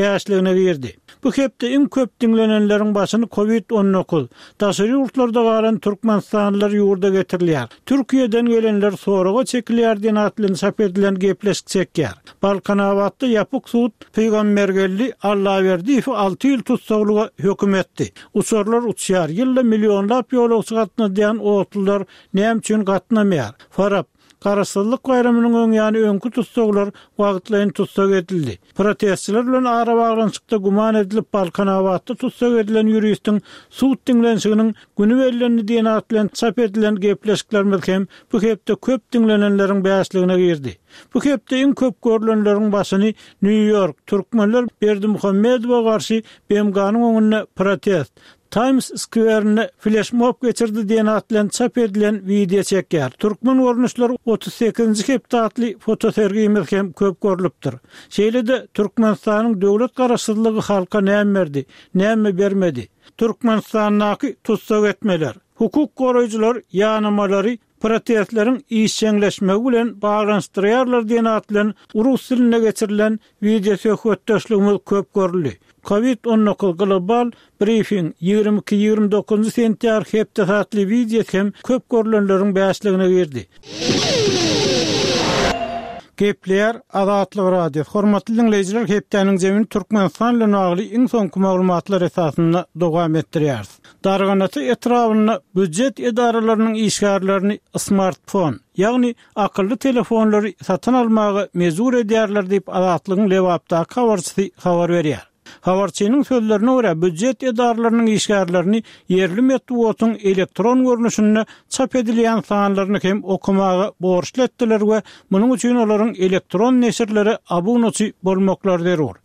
Bäşligine girdi. Bu hepde iň köp diňlenenleriň başyny Covid 19, daşary ýurtlarda galan türkmenistanlylar ýurda getirilýär, Türkiýeden gelenler soraga çekilýär diýen at bilen çap edilen gepleşik çekýär. Balkanabatda ýapyk sud Pygambergeldi Allaberdiýewi alty ýyl tussaglyga höküm etdi. Uçarlar uçýar, ýylda millionlap ýolagçy gatnadýan otlular näme üçin gatnamaýar? Farap, Garaşsyzlyk baýramynyň öň ýany öňki tussaglar wagtlaýyn tussag edildi. Protestçiler bilen arabaglanyşykda güman edilip Balkanabatda tussag edilen ýuristiň sud diňlenişiginiň güni bellendi diýen at bilen çap edilen gepleşiklerimiz hem bu hepde köp diňlenenleriň bäşligine girdi. Bu hepde iň köp görlenleriň başyny Nýu-Ýork, türkmenler Berdimuhamedowa garşy BMG-niň öňünde protest, Taýms skwerinde fleşmob geçirdi diýen at bilen çap edilen wideo çekýär. Türkmen görnüşleri 38-nji hepde atly fotosergimiz hem köp görlüpdir. Şeýle-de Türkmenistanyň döwlet garaşsyzlygy halka näme berdi, näme bermedi? Türkmenistandaky tussag etmeler, hukuk goraýjylar ýanamalary protestleriň işjeňleşmegi bilen baglanyşdyrýarlar diýen at bilen rus dilinde geçirilen wideosöhbetdeşligimiz köp görüldi. Covid 19 global brifing 22, 29 sentýabr hepdesi atly wideosy hem köp görlenleriň bäşligine girdi. Gepleýär Azatlyk Radiosy. Hormatly diňleýjiler, hepdäniň jemini Türkmenistan bilen bagly iň soňky maglumatlar esasynda dowam etdirýäris. Darganata etrabynda býujet edaralarynyň işgärlerini smartfon, ýagny akylly telefonlary satyn almaga mejbur edýärler diýip, Azatlygyň Lebapdaky habarçysy habar berýär. Habarçynyň sözlerine görä, býujet edaralarynyň işgärlerini ýerli metbugatyň elektron görnüşinde çap edilýän sanlaryny hem okamaga borçly etdiler we munuň üçin olaryň elektron neşirlere abunaçy bolmaklary zerur.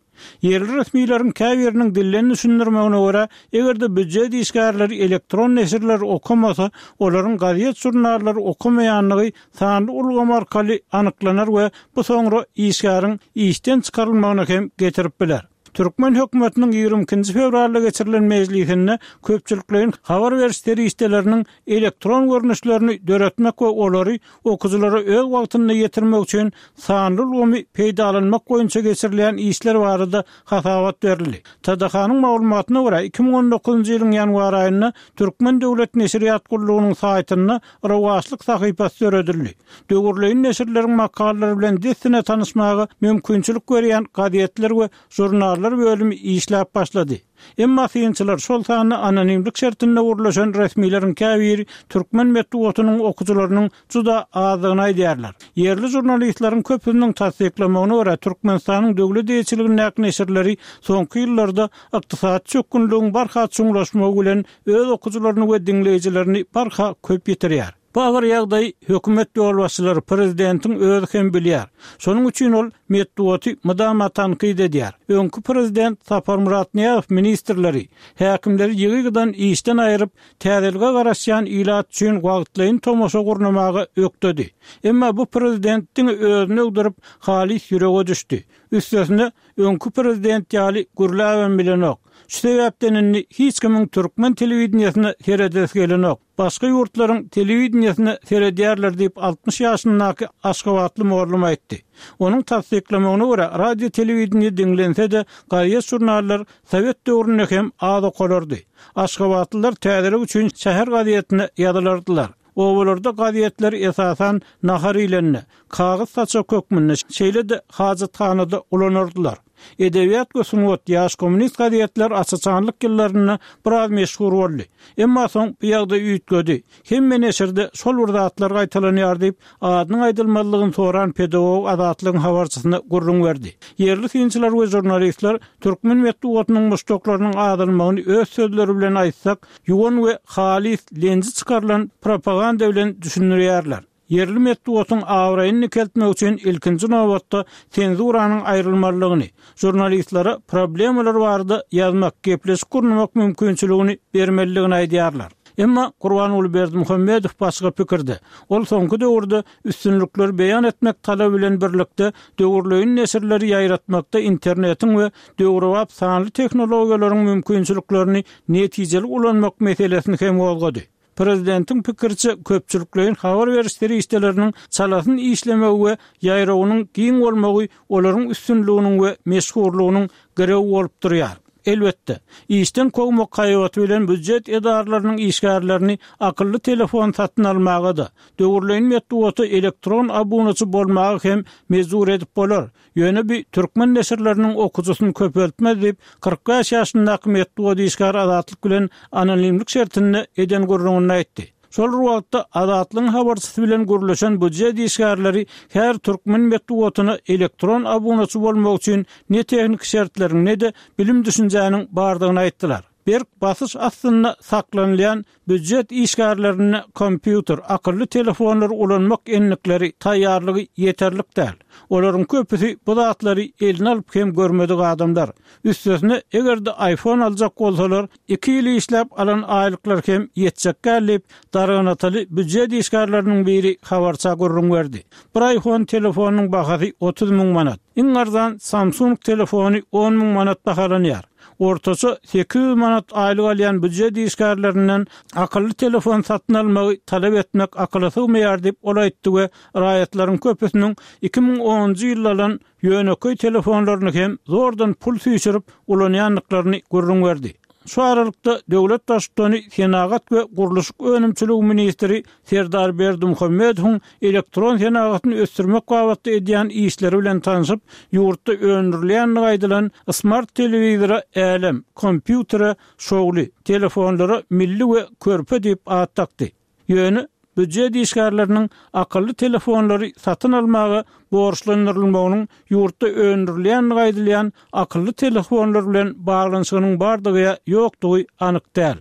Ýerli resmileriň käbiriniň dilden düşündirmegine görä, eger-de býujet işgärleri elektron neşirleri okamasa, olaryň gazet-žurnallary okamaýandygy sanly ulgam arkaly anyklanar we bu soňra işgäriň işden çykarylmagyna hem getirip biler. Türkmen hökümetiniň 22-nji fewralda geçirilen mejlisinde köpçülikleýin habar beriş serişdeleriniň elektron görnüşlerini döretmek we olary okyjylara öz wagtynda ýetirmek üçin sanly ulgamy peýdalanmak boýunça geçirilýän işler barada hasabat berildi. TDH-nyň maglumatyna görä, 2019-njy ýylyň ýanwar aýynda Türkmen döwlet neşirýat gullugynyň saýtynda Rowaçlyk sahypasy döredildi. Döwürleýin neşirleriň makalalary bilen dessine tanyşmaga mümkinçilik berýän gazetler we žurnallar bölümi işläp başlady. Emma synçylar, şol sanda anonimlik şertinde gürleşen resmileriň käbiri türkmen metbugatynyň okyjylarynyň juda azdygyny aýdýarlar. Ýerli žurnalistleriň köpüsiniň tassyklamagyna görä, Türkmenistanyň döwlet eýeçiligindäki neşirleri soňky ýyllarda ykdysady çökgünligiň barha çuňlaşmagy bilen öz okyjylaryny we diňleýjilerini barha köp ýitirýär. Bu agyr ýagdaýy hökümet ýolbaşçylary, prezidentiň özi hem bilýär. Şonuň üçin ol metbugaty mydama tankyt edýär. Öňki prezident Saparmyrat Nyýazow ministrleri, häkimleri ýygy-ýygydan işden aýryp, täzelige garaşýan ilat üçin wagtlaýyn tomaşa gurnamaga ökdedi. Emma bu prezident diňe özüni öwdürip, halys ýürege düşdi. Üstesine, öňki prezident ýaly gürläbem bilenok. Şu sebäpden indi hiç kimiň türkmen telewideniýesine seredesi gelenok. Başga ýurtlaryň telewideniýesine seredýärler diýip, 60 ýaşyndaky aşgabatly mugallym aýtdy. Onuň tassyklamagyna görä, radio-telewideniýe diňlense-de, gazet-žurnallar sowet döwründe hem az okalardy. Aşgabatlylar täzelik üçin şäher gazetine ýazylardylar. Obalarda gazetler esasan nahar iýlende, kagyz saçak hökmünde, şeýle-de hajathanada ulanardylar. Edebiýat we sungat, Ýaş kommunist gazetler aç-açanlyk ýyllarynda biraz meşhur boldy. Emma soň bu ýagdaý üýtgedi. Hemme neşirde şol bir zatlar gaýtalanýar diýip, adynyň aýdylmazlygyny soran pedagog Azatlygyň habarçysyna gürrüň berdi. Ýerli synçylar we žurnalistler türkmen metbugatynyň muşdaklarynyň azalmagyny öz sözleri bilen aýtsak, ýuwan we halys lenji çykarylan propaganda bilen düşündirýärler. Ýerli metbugatyň abraýyny dikeltmek üçin ilkinji nobatda senzuranyň aýrylmalydygyny, žurnalistlere problemalar barada ýazmak, gepleşik gurnamak mümkinçiligini bermelidigini aýdýarlar. Emma Gurbanguly Berdimuhamedow başga pikirde. Ol soňky döwürde üstünlikleri beýan etmek talaby bilen birlikde döwürleýin neşirleri ýaýratmakda internetiň we döwrebap sanly tehnologiýalaryň mümkinçiliklerini netijeli ulanmak meselesini hem gozgady. Prezidentiň pikiriçe, köpçülikleýin habar beriş serişdeleriniň çalasyn işlemegi we ýaýrawynyň giň bolmagy olaryň üstünliginiň we meşhurlygynyň girewi bolup durýar. Elbetde, işden kowmak haýbaty bilen býujet edaralarynyň işgärlerini akylly telefon satyn almaga-da, döwürleýin metbugata elektron abunaçy bolmaga hem mejbur edip bolar, ýöne bi türkmen neşirleriniň okyjysyny köpeltmez diýip, 45 ýaşyndaky metbugat işgäri Azatlyk bilen anonimlik şertinde eden gürrüňinde aýtdy. Şol bir wagtda, Azatlygyň habarçysy bilen gürleşen býujet işgärleri her türkmen metbugatyna elektron abunaçy bolmak üçin ne tehniki şertleriň, ne-de bilim-düşünjäniň bardygyny aýtdylar. Berk basyş astynda saklanylýan býujet işgärlerinde kompýuter, akylly telefonlary ulanmak endikleri, taýýarlygy ýeterlik däl. Olaryň köpüsi bu zatlary eline alyp hem görmedik adamlar. Üstesine, eger-de iPhone aljak bolsalar, iki ýyl işläp alan aýlyklary hem ýetjek däl diýip, Darganataly býujet işgärleriniň biri habarça gürrüň berdi. Bir iPhone telefonynyň bahasy 30 müň manat. Iň arzan Samsung telefony on müň manat bahalanýar. Ortaça 800 manat aýlyk alýan býujet işgärlerinden akylly telefon satyn almagy talap etmek akyla sygmaýar diýip, ol aýtdy we raýatlaryň köpüsiniň 2010-njy ýylda alan ýönekeý telefonlaryny hem zordan pul süýşürip ulanýandyklaryny gürrüň berdi. Şu aralykda, döwlet Baştutany senagat we gurluşyk önümçiligi ministri Serdar Berdimuhamedowyň elektron senagatyny ösdürmek babatda edýän işleri bilen tanşyp, ýurtda öndürilýändigi aýdylan smart telewizora Älem, kompýutere Şowly, telefonlara Milli we Körpe diýip at dakdy. Ýöne býujet işgärleriniň akylly telefonlary satyn almaga borçlandyrylmagynyň ýurtda öndürilýändigi aýdylýan akylly telefonlar bilen baglanyşygynyň bardygy ýa ýokdugy anyk däl.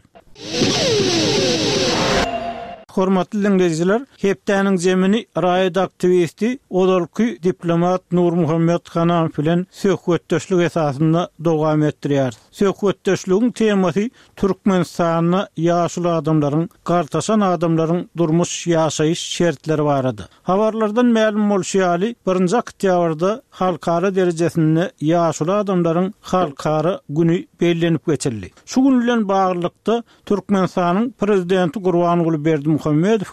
Hormatly diňleýjiler, hepdäniň zemini raýat aktiwisti, ozalky diplomat Nurmuhammet Hanamow bilen söhbetdeşlik esasynda dowam etdirýäris. Söhbetdeşligiň temasy Türkmenistanda ýaşuly adamlaryň, gartaşan adamlaryň durmuş, ýaşaýyş şertleri barada. Habarlardan mälim bolşy ýaly, birinji oktýabrda halkara derejesinde ýaşuly adamlaryň halkara güni bellenip geçildi. Şu gün bilen baglylykda, Türkmenistanyň Prezidenti Gurbanguly Berdimuhamedow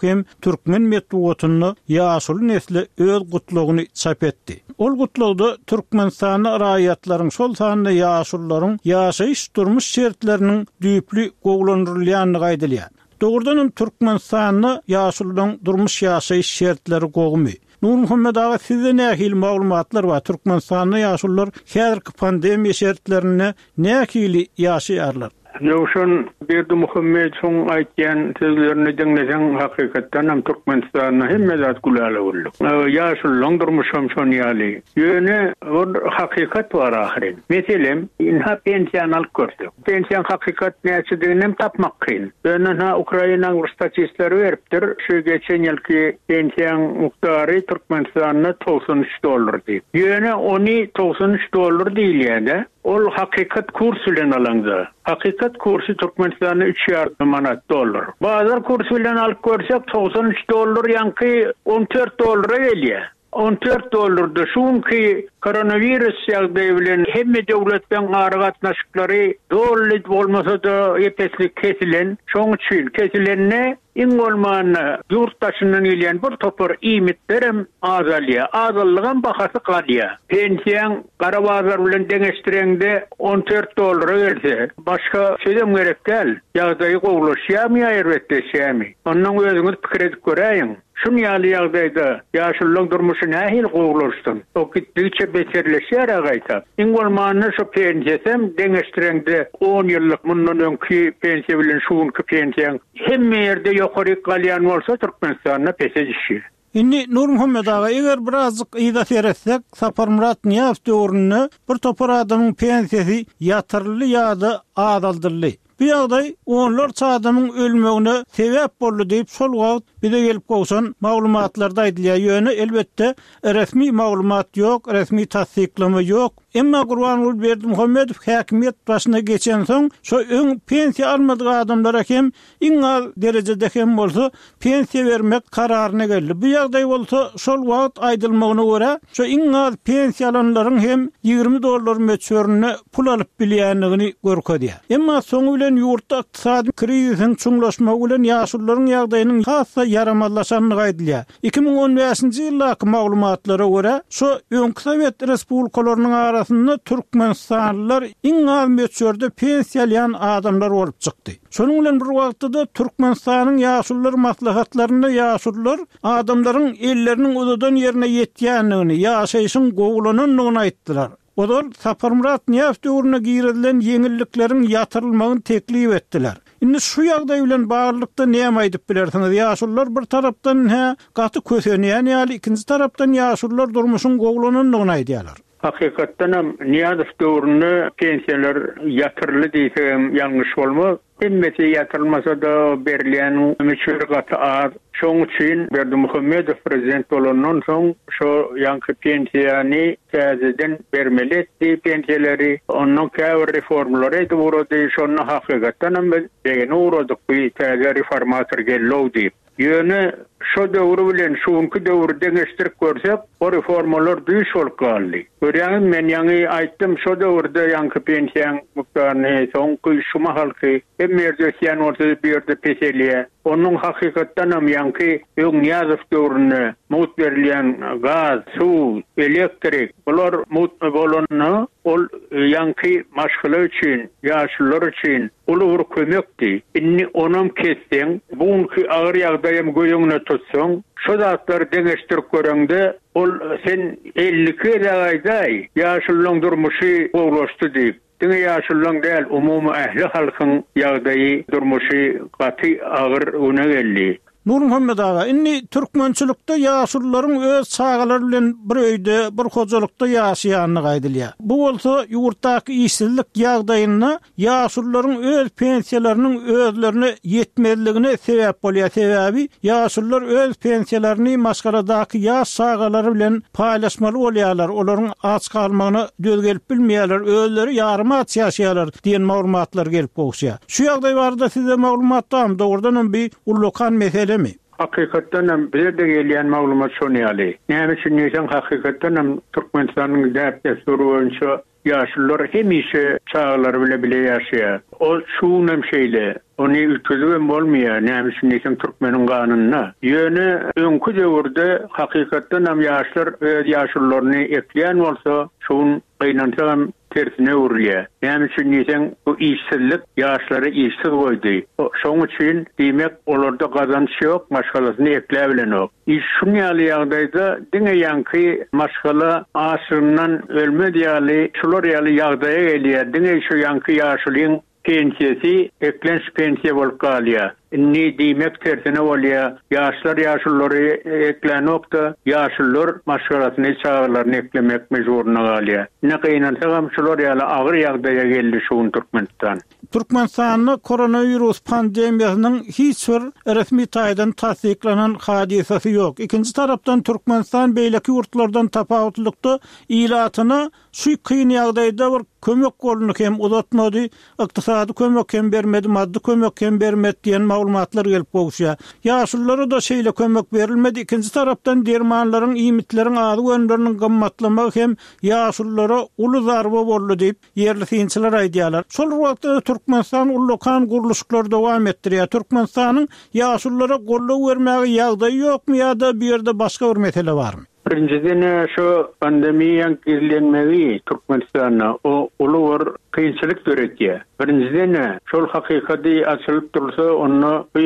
hem türkmen metbugatynda ýaşuly nesle öz gutlagyny çap etdi. Ol gutlagda Türkmenistanda raýatlaryň, şol sanda ýaşulularyň ýaşaýyş-durmuş şertleriniň düýpli gowulandyrylýandygy aýdylýar. Dogrudanam Türkmenistanda ýaşulularyň durmuş-ýaşaýyş şertleri gowumy? Nurmuhammet aga sizde nähili maglumatlar bar, Türkmenistanda ýaşulular häzirki pandemiýa şertlerinde nähili ýaşaýarlar? Ýowşan Berdimuhamedowyň aýtýan sözlerini diňleseň hakykatdanam Türkmenistanda hemme zat gülala-güllük. Ýaşululaň durmuşam şon ýaly. Ýöne bir hakykat bar ahyryn. Meselem, ynha pensiýany alyp görsek. Pensiýaň hakykat näçediginem tapmak kyn. Ýöne ynha Ukrainaň bir statistleri beripdir, şu geçen ýylky pensiýaň mukdary Türkmenistanda 93 dollar diýip. Ýöne ony 93 dollar diýilýär-de. Ol hakykat kurs bilen alaňda. Hakykat kursy Türkmenistanda üç ýarym manat dollar. Bazar kursy bilen alyp görsek 93 dollar ýaňky 14 dollara gelýär. 14 dollarda şu günki koronawirus ýagdaýy bilen hemme döwletleň aragatnaşyklary doly bolmasa-da ep-esli kesilen. Şoň üçin kesilende Iň bolmanda, ýurt daşyndan gelýän bir topar iýmitlerem azalýar. Azaldygam bahasy galýar. Pensiýaň gara bazar bilen deňeşdireňde on dört dollara gelse, başga sözem gerek däl. Ýagdaýy gowulaşýarmy ýa erbetleşýärmi? Onnoň özüňiz pikir edip göräýiň. Şun ýaly ýagdaýda ýaşululaň durmuşy nähili gowulaşsyn? O gitdigiçe beterleşýär-ä gaýta. Iň bolmanda şu pensiýasam deňeşdireňde on ýyllyk mundan öňki pensiýa bilen şu günki pensiýaň Hemme ýerde ýokaryk galýan bolsa Türkmenistanda pese düşýär. Indi Nurmuhammet aga eger birazjyk yza seretsek Saparmyrat Nyýazow döwründe bir topar adamyň pensiýasy ýatyryldy ýa-da azaldyldy. Bu ýagdaý onlarça adamyň ölmegine sebäp boldy diýip şol wagt bize gelip gowşan maglumatlarda aýdylýar. Ýöne elbetde resmi maglumat ýok, resmi tassyklama ýok. Emma Gurbanguly Berdimuhamedow häkimiýet başyna geçensoň, şo öň pensiýa almadyk adamlara hem iň az derejede hem bolsa pensiýa bermek kararyna geldi. Bu ýagdaý bolsa şol wagt aýdylmagyna görä, şo iň az pensiýa alanlaryň hem 20 dollar möçberinde pul alyp bilýändigini görkezýär. Emma soňy bilen. bilen ýurtda ykdysady krizisiň çuňlaşmagy bilen ýaşulularyň ýagdaýynyň has-da ýaramazlaşandygy aýdylýar. 2015-nji ýyldaky maglumatlara görä, şo öňki sowet respublikalarynyň arasynda türkmenistanlylar iň az möçberde pensiýa alýan adamlar bolup çykdy. Şonuň bilen bir wagtda-da Türkmenistanyň Ýaşulular maslahatlarynda ýaşulular adamlaryň elleriniň uzadan ýerine ýetýändigini, ýaşaýşyň gowulanandygyny aýtdylar. Ozal Saparmyrat Nyýazow döwründe girizilen ýeňillikleriň ýatyrylmagyny teklip etdiler. Indi şu ýagdaý bilen baglylykda näme aýdyp bilersiňiz? Ýaşulular bir tarapdan-hä gaty kösenýän ýaly, ikinji tarapdan ýaşulular durmuşyň gowulanandygyny aýdýarlar. Hakykatdanam Nyýazow döwründe pensiýalar ýatyryldy diýsegem ýalňyş bolmaz. Hemmesi ýatyrylmasa-da berilýän möçberi gaty az. Şoň üçin Berdimuhamedow prezident bolandan soň şo ýaňky pensiýany täzeden bermeli etdi pensiýalary. Ondan käbir reformalary edip ugrady. Şonda hakykatdanam biz begenip ugradyk bu täze reformator geldi-ow diýip. Ýöne şo döwri bilen şu günki döwri deňeşdirip görsek, o reformalar düýş bolup galdy. Görýäňizmi, men ýaňy aýtdym, şo döwürde ýaňky pensiýaň mukdaryny, soňky şu mahalky hemme ýerde ösýän bolsa-da bu ýerde peselýär. Onuň hakykatdanam ýaňky öň Nyýazow döwründe mugt berilýän gaz, suw, elektrik, bular mugt bolanda, ol ýaňky maşgala üçin, ýaşulular üçin uly bir kömekdi. Indi onam kesseň, bu günki agyr ýagdaýam göz öňüne tutsaň, şo zatlary deňeşdirip göreňde, ol sen 52 gezek aýdaý, ýaşululaň durmuşy gowulaşdy diýip. Diňe ýaşululaň däl, umumy ähli halkyň ýagdaýy, durmuşy gaty agyr güne geldi. Nurmuhammet aga, indi türkmençilikde ýaşulularyň öz çagalary bilen bir öýde, bir hojalykda ýaşaýandygy aýdylýar. Bu bolsa ýurtdaky işsizlik ýagdaýynda ýaşulularyň öz pensiýalarynyň özlerine ýetmezligine sebäp bolýar. Sebäbi ýaşulular öz pensiýalaryny maşgaladaky ýaş çagalary bilen paýlaşmaly bolýarlar, olaryň aç galmagyna döz gelip bilmeýärler, özleri ýarym aç ýaşaýarlar diýen maglumatlar gelip gowuşýar. Şu ýagdaý barada sizde maglumat barmy? Dogrudan hem bi ullakan meselemi? Hakykatdan hem bize-de gelýän maglumat şon ýaly. Näme üçin diýseň hakykatdan hem Türkmenistanyň däp-dessury boýunça ýaşulular hemişe çagalary bile bile ýaşaýar. Ol şu gün hem şeýle. Ony üýtgedibem bolmaýar. Näme üçin diýseň türkmeniň ganynda. Ýöne öňki döwürde hakykatdan hem ýaşlar öz ýaşulularyny ekleýän bolsa şu gün Gynansagam, tersine öwrülýär. Näme üçin diýseň, bu işsizlik ýaşlary işsiz goýdy. Şoň üçin, diýmek, olarda gazanç ýok, maşgalasyny ekläbilenok. Iş şuň ýaly ýagdaýda diňe ýaňky maşgala açlygyndan ölmez ýaly şular ýaly ýagdaýa gelýär. Diňe şu ýaňky ýaşulyň Pensiýasy eklenç pensiýa bolup galýar. Indi diýmek tersine bolýar, ýaşlar ýaşululary eklänok-da, ýaşulular maşgalasyny, çagalaryny eklemek mejburyna galýar. Ine gynansagam şular ýaly agyr ýagdaýa geldi şu gün Türkmenistan. Türkmenistanda koronawirus pandemiýasynyň hiç bir resmi taýdan tassyklanan hadysasy ýok. Ikinji tarapdan Türkmenistan beýleki ýurtlardan tapawutlylykda ilatyna Şu kyn ýagdaýda bir kömek goluny hem uzatmady, ykdysady kömek hem bermedi, maddy kömek hem bermedi diýen maglumatlar gelip gowuşýar. Ýaşululara-da şeýle kömek berilmedi. Ikinji tarapdan dermanlaryň, iýmitleriň, azyk önümleriniň gymmatlamagy hem ýaşululara uly zarba boldy diýip, ýerli synçylar aýdýarlar. Şol bir wagtda-da Türkmenistan ullakan gurluşyklary dowam etdirýär. Türkmenistanyň ýaşululara goldaw bermäge ýagdaýy ýokmy ýa-da bu ýerde başga bir mesele barmy? Birinjiden-ä şu pandemiýaň gizlenmegi Türkmenistanda o uly bir kynçylyk döretýär. Birinjiden-ä şol hakykady açylyp dursa onda bu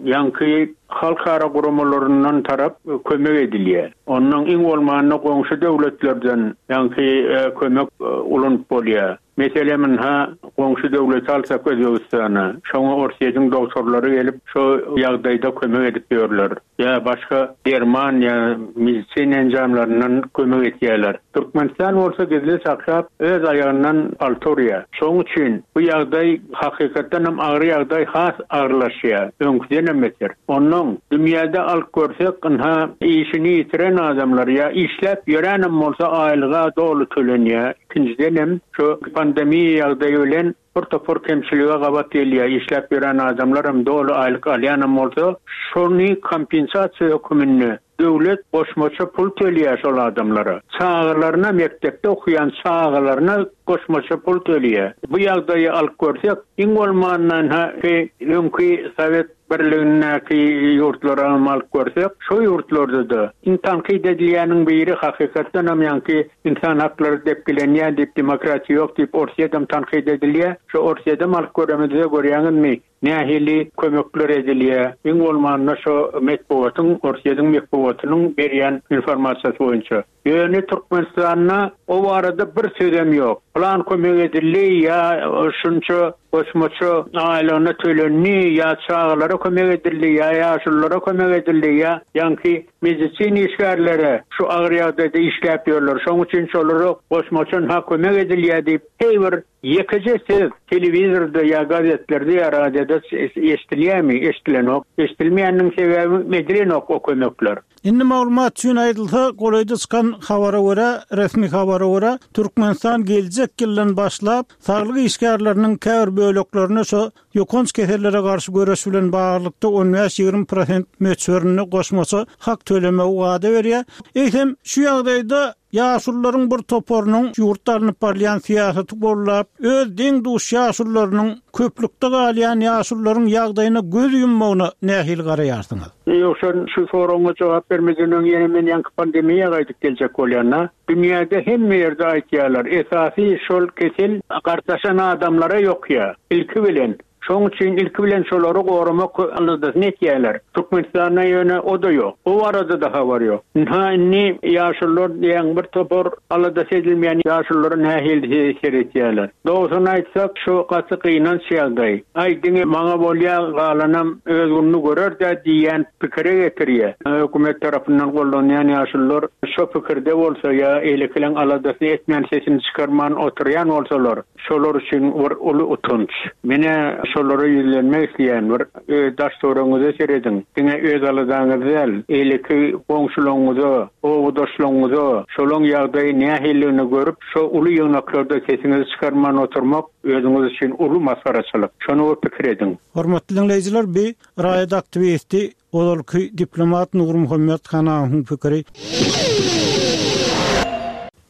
ýaňky halkara guramalaryndan tarap kömek edilýär. Onnoň iň bolmanda goňşy döwletlerden ýaňky kömek ulanyp bolýar. Meselem ynha goňşy döwleti alsak Özbegistana, şoňa Orsýetiň dogtorlary gelip şo ýagdaýda kömek edip ýörler. Ýa başga derman ýa medisina enjamlaryndan kömek etýärler. Türkmenistan bolsa gizli saklap öz aýagyndan palta urýar. Şoň üçin bu ýagdaý hakykatdanam agyr ýagdaý has agyrlaşýar, öňküdenem beter. Onnoň dünýäde alyp görsek ynha işini ýitiren adamlar ýa işläp ýöränem bolsa aýlyga doly tölenýär. Ikinjidenem, şu pandemiýa ýagdaýy bilen bir topar kemçilige gabat gelýär, işläp ýören adamlaram doly aýlyk alýanam bolsa, şony kompensasiýa höküminde döwlet goşmaça pul töleýär şol adamlara. Çagalaryna, mekdepde okaýan çagalaryna. goşmaça pul töleýär. Bu ýagdaýy alyp görsek, iň bolmanda ynha öňki Sowet Birligindäki ýurtlaram alyp görsek, şo ýurtlarda-da iň tankyt edilýäniň biri hakykatdanam ýaňky ynsan haklary depgilenýär diýip, demokratiýa ýok diýip Orsýedem tankyt edilýär. Şo Orsýedem alyp göremizde görýäňizmi, nähili kömekler edilýär, iň bolmanda şo metbugatyň, Orsýediň metbugatynyň berýän informasiýasy boýunça. Ýöne Türkmenistanda o barada bir sözem ýok. Pylan kömek edildi ýa şunça goşmaça aýlygyna tölendi ýa çagalara kömek edildi ýa ýaşululara kömek edildi ýa ýaňky medisina işgärlere şu agyr ýagdaýda işläp ýörler şoň üçin şolara goşmaça ynha kömek edilýär diýip heý bir ýekeje söz telewizorda ýa gazetlerde ýa radioda eşdilýärmi? Eşdilenok. Eşdilmeýäniniň sebäbi edilenok o kömekler. Indi maglumat üçin aýdylsa, golaýda çykan habara görä, resmi habara görä, Türkmenistan geljek ýyldan başlap, saglyk işgärleriniň käbir böleklerine şo ýokanç kesellere garşy göreş bilen baglylykda on bäş-ýigrimi prosent möçberinde goşmaça hak tölemegi wada berýär. Eýsem, şu ýagdaýda Ýaşulularyň bir toparynyň ýurtda alnyp barylýan syýasaty goldap, öz deň-duş ýaşulularynyň köplükde galýan ýaşulularyň ýagdaýyna göz ýummagyna nähili garaýarsyňyz? Ýogsa şu soragyňa jogap bermeden öň ýene men ýaňky pandemiýa gaýdyp geljek bolýan-da. Dünýäde hemme ýerde aýtýarlar, esasy şol kesel gartaşan adamlara ýokýar ilki bilen. Şoň üçin ilki bilen şolary goramak aladasyny etýärler. Türkmenistanda ýöne o-da ýok. O barada-da habar ýok. Ynha indi ýaşulular diýýäň bir topar aladasy edilmeýän ýaşululara nähili seretýärler. Dogrusyny aýtsak şu gaty gynanç ýagdaý. Aý diňe maňa bolýa galanam öz gününi görer-dä diýýän pikire getirýär. Hökümet tarapyndan goldanýan ýaşulular şo pikirde bolsa ýa eýlekileň aladasyny etmän sesini çykarman oturýan bolsalar, Şolar üçin bir uly utanç. Men-ä şolara ýüzlenmek isleýän, bir öz daş-töweregiňize serediň. Diňe öz aladaňyz däl, eýleki goňşularyňyza, obadaşlaryňyza şolaň ýagdaýy nähililigini görüp, şo uly ýygnaklarda sesiňizi çykarman oturmak özüňiz üçin uly masgaraçylyk. Şony bir pikir ediň. Hormatly diňleýjiler, bi raýat aktiwisti, ozalky diplomat Nurmuhammet Hanamowyň pikiri.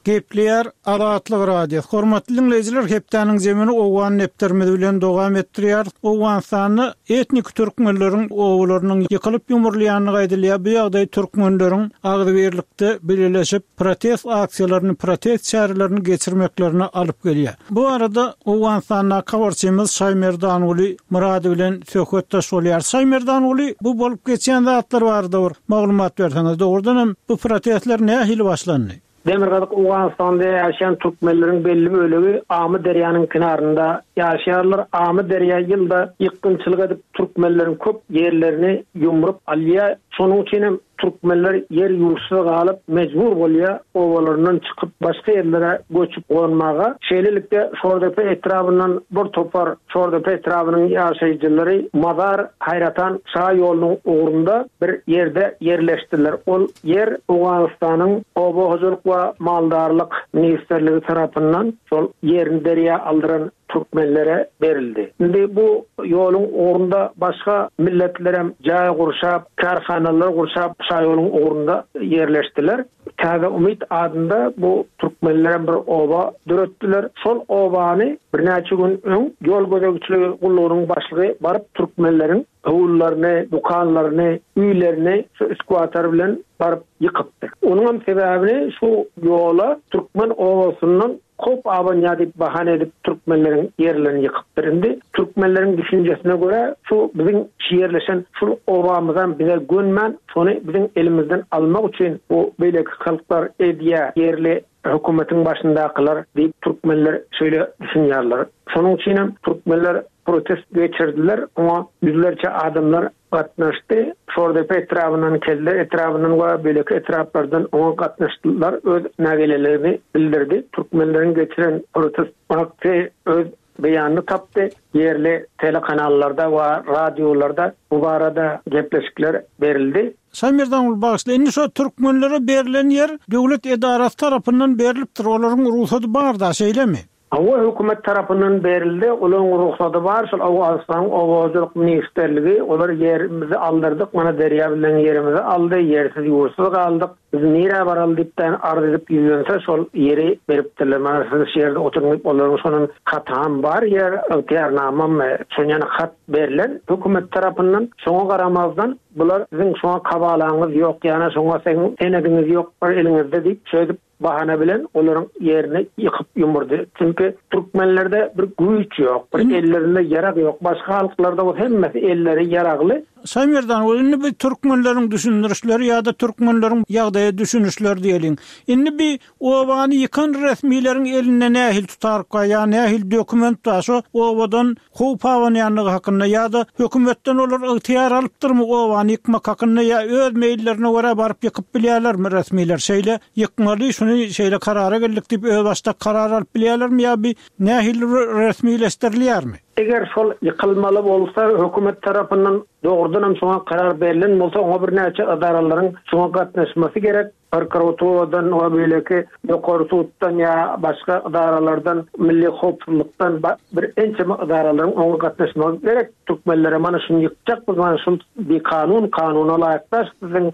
Gepleýär Azatlyk Radiosy. Hormatly diňleýjiler, hepdäniň jemini Owgan depderimiz bilen dowam etdirýäris. Owganystanda etniki türkmenleriň obalarynyň ýykylyp ýumrulýandygy aýdylýar. Bu ýagdaý türkmenleriň agzybirlikde bileleşip, protest aksiýalaryny, protest çärelerini geçirmeklerine alyp gelýär. Bu barada Owganystandaky habarçymyz Şaýmerdanguly Myrady bilen söhbetdeş bolýarys. Şaýmerdanguly, bu bolup geçýän zatlar barada bir maglumat berseňiz, dogrudan hem bu protestler nähili başlandy? Demirgazyk Owganystanda ýaşaýan türkmenleriň belli bölegi Amy derýanyň kenarynda ýaşaýarlar. Amy derýa ýylda ýykgynçylyk edip türkmenleriň köp ýerlerini ýumrup alýar. Şonuň üçin hem türkmenler ýer-ýurtsyz galyp mejbur bolýar obalaryndan çykyp başga ýerlere göçüp gonmaga. Şeýlelikde Şordepe etrabyndan bir topar Şordepe etrabynyň ýaşaýjylary Mazar Haýratan şa ýolunyň ugrunda bir ýerde ýerleşdiler. Ol ýer Owganystanyň Oba hojalyk we maldarlyk ministrligi tarapyndan şol ýerini derýa aldyran türkmenlere berildi. Indi bu ýoluň ugrunda başga milletlerem jaý gurşap, kärhanalar gurşap şaýoluň ugrunda ýerleşdiler. Täze umyt adynda bu türkmenlerem bir oba döretdiler. Şol obany birnäçe gün öň ýol gözegçiligi gullugynyň başlygy baryp türkmenleriň howlularyny, dükanlaryny, öýlerini şu eskwator bilen baryp ýykypdyr. Onuňam sebäbini şu ýola türkmen obasyndan howp abanýar diýip bahana edip türkmenleriň ýerlerini ýykypdyr. Indi türkmenleriň düşünjesine görä şu biziň şu ýerleşen şul obamyzam bize gönmän şony biziň elimizden almak üçin bu beýleki halklar edýä ýerli hökümetiň başyndakylar diýip türkmenler şeýle düşünýärler. Şonuň üçinem türkmenler protest geçirdiler oňa ýüzlerçe adamlar gatnaşdy. Şordepe etrabyndan, Kelder etrabyndan we beýleki etraplardan oňa gatnaşdylar, öz nägileligini bildirdi. Türkmenleriň geçiren protest aksy öz beýanyny tapdy. Ýerli telekanallarda we radiolarda bu barada gepleşikler berildi. Şaýmerdanguly bagyşla, indi şo türkmenlere berlen ýer döwlet edarasy tarapyndan berlipdir, olaryň rugsady bar-da, şeýlemi? Hawa, hökümet tarapyndan berildi, olaryň rugsady bar, şol Owganystanyň Oba hojalyk ministrligi, olar ýerimizi aldyrdyk, mana derýa bilen ýerimizi aldy, ýersiz-ýurtsuz galdyk. Biz nirä baraly diýipdän arz edip ýüzlense şol ýeri beripdirler. Mana siz şu ýerde oturyň diýip olaryň şonuň hatam bar ýer ygtyýarnamam şon ýaly hat berlen hökümet tarapyndan. Şoňa garamazdan bular siziň şoňa kabalaňyz ýok ýana şoňa siziň senediňiz ýok bir eliňizde diýip şeýdip bahana bilen olaryň ýerini ýykyp ýumurdy. Çünki türkmenlerde bir güýç ýok, bir ellerinde ýarag ýok. Başga halklarda bolsa hemmesi elleri ýaragly. Şaýmerdan, ol indi bi türkmenleriň düşündirişleri ýa-da türkmenleriň ýagdaýa düşünişleri diýeliň. Indi bi obany ýykan resmileriň elinde nähili tutaryk bar ýa nähili dokument bar şo obadan howp abanýanlygy hakynda ýa-da hökümetden olar ygtyýar alypdyrmy obany ýykmak hakynda ýa öz meýillerine görä baryp ýykyp bilýärlermi resmiler şeýle ýykmaly şuny şeýle karara geldik diýip özbaşdak karar alyp bilýärlermi ýa bi nähili resmileşdirilýärmi? Eger şol ýykylmaly bolsa hökümet tarapyndan dogrudanam şoňa karar berlen bolsa oňa birnäçe ydaralaryň şoňa gatnaşmasy gerek. Prokuraturadan we beýleki ýokary suddan ýa başga edaralardan, milli howpsuzlykdan bir ençeme edaralaryň oňa gatnaşmagy gerek. Türkmenlere mana şuny ýykjak biz, mana şul bikanun, kanuna laýyk däl siziň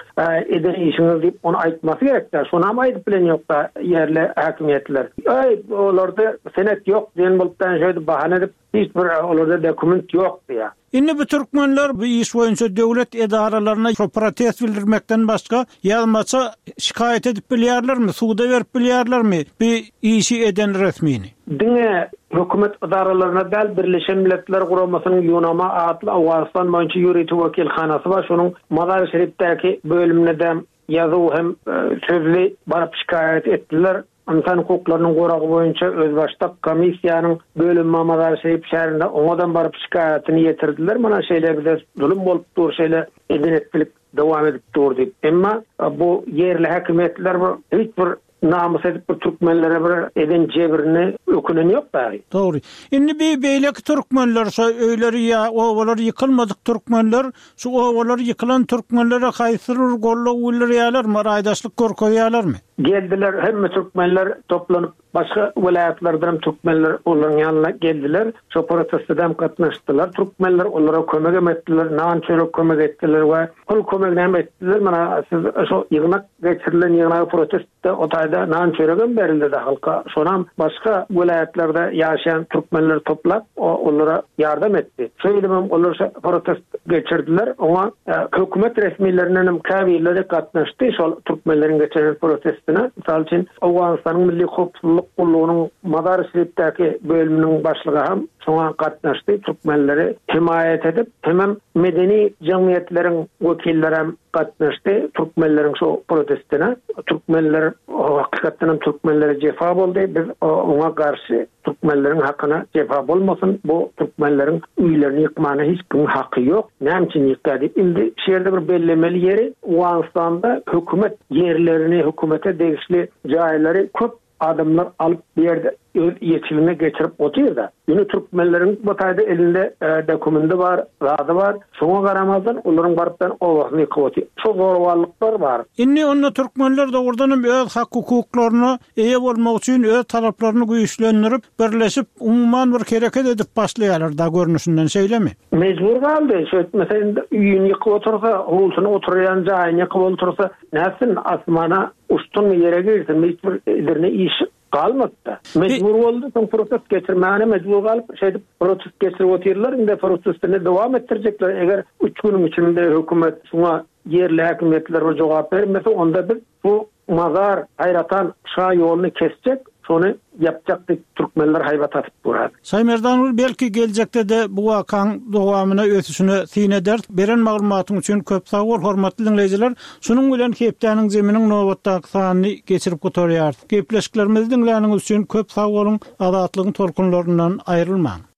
eden işiňiz diýip ony aýtmasy gerek-dä. Şonam aýdyp bilen ýok-da ýerli häkimiýetler. Äý, olarda senet ýok diýen bolup şeýdip bahana edip Hiç bir olarda dokument ýok diýýär. Indi bu türkmenler bu iş boýunça döwlet edaralaryna şo protest bildirmekden başga ýazmaça şikaýat edip bilýärlermi, suda berip bilýärlermi bu işi eden resmini? Diňe hökümet edaralaryna däl, Birleşen Milletler Guramasynyň UNAMA atly Owganystan boýunça ýörite wekilhanasy bar, şonuň Mazar-i-Şerifdäki bölümine-de ýazuw hem sözli baryp şikaýat etdiler. Ynsan hukuklarynyň goragy boýunça özbaşdak komissiýanyň bölümi Mazar-Şerif şäherinde oňadam baryp şikaýatyny ýetirdiler, mana şeýle bize zulum bolup dur, şeýle eden-etdilik dowam edip dur diýip. Emma bu ýerli häkimiýetler bir hiç bir namys edip bir türkmenlere bir eden jebrini ökünen ýok dagy. Dogry. Indi bi beýleki türkmenler şo öýleri ýa obalary ýykylmadyk türkmenler şu obalary ýykylan türkmenlere haýsydyr bir goldaw bildirýälermi, raýdaşlyk görkezýälermi? Geldiler, hemme türkmenler toplanyp, başga welaýatlardanam türkmenler olaryň ýanyna geldiler. Şo protestedem gatnaşdylar türkmenler, olara kömegem etdiler, nan-çörek kömek etdiler we pul kömeginem etdiler. Mana siz şo ýygnak geçirilen ýygnagy protestde o taýda nan-çöregem berildi-de halka. Şonam başga welaýatlarda ýaşaýan türkmenler toplap, olara ýardam etdi. Şeýdibem olar şo protest geçirdiler. Oňa hökümet resmilerindenem käbirleri gatnaşdy şol türkmenleriň geçiren protestine. Mysal üçin, Owganystanyň Milli howpsuzlyk gullugynyň Mazar-i-Şerifdäki bölüminiň başlygy hem şoňa gatnaşdy, türkmenleri hemaýat edip, hemem medeni jemgyýetleriň wekillerem gatnaşdy türkmenleriň şo protestine. Türkmenler hakykatdan hem türkmenlere jepa boldy. Biz oňa garşy Türkmenleriň hakyna jepa bolmasyn, bu türkmenleriň öýlerini ýykmana hiç kimiň haky ýok, näme üçin ýykýar diýip. Indi şu ýerde bir bellemeli ýeri, Owganystanda hökümet ýerlerini, hökümete degişli jaýlary köp adamlar alyp bu ýerde öz eýeçiligine geçirip otyrda. Ýöne türkmenleriň bu taýda elinde dokumendi bar, zady bar. Şoňa garamazdan olaryň baryp ben obasyny ýykyp otyr. Şo zoraballyklar bar. Indi onda türkmenler dogrudan hem öz hak-hukuklaryna eýe bolmak üçin öz talaplaryny güýçlendirip, birleşip, umuman bir hereket edip başlaýarlar da görnüşinden, şeýlemi? Mejbur galdy. Şeýtmese indi öýüni ýykyp otursa, howlusyny oturýan jaýyny ýykyp otursa, nätsin, asmana uçsunmy, ýere girsinmi, hiç bir ederine iş galmady-da. Mejbur boldy, soň protest geçirmäne mejbur galyp, şeýdip protest geçirip otyrlar, indi protestini dowam etdirjekler, eger üç günüň içinde hökümet şuňa ýerli häkimiýetler bir jogap bermese, onda biz bu Mazar, Haýratan şa ýoluny kesjek, şony ýapjak diýip türkmenler haýbat atyp dur häzir. Şaýmerdan belki geljekde-de bu wakaň dowamyna ösüşine syn ederis. Beren maglumatyň üçin köp sag bol hormatly diňleýjiler. Şunuň bilen hepdäniň zeminiň nobatdaky sanyny geçirip gutarýarys. Gepleşiklerimizi diňläniňiz üçin köp sag boluň, Azatlygyň tolkunlaryndan aýrylmaň.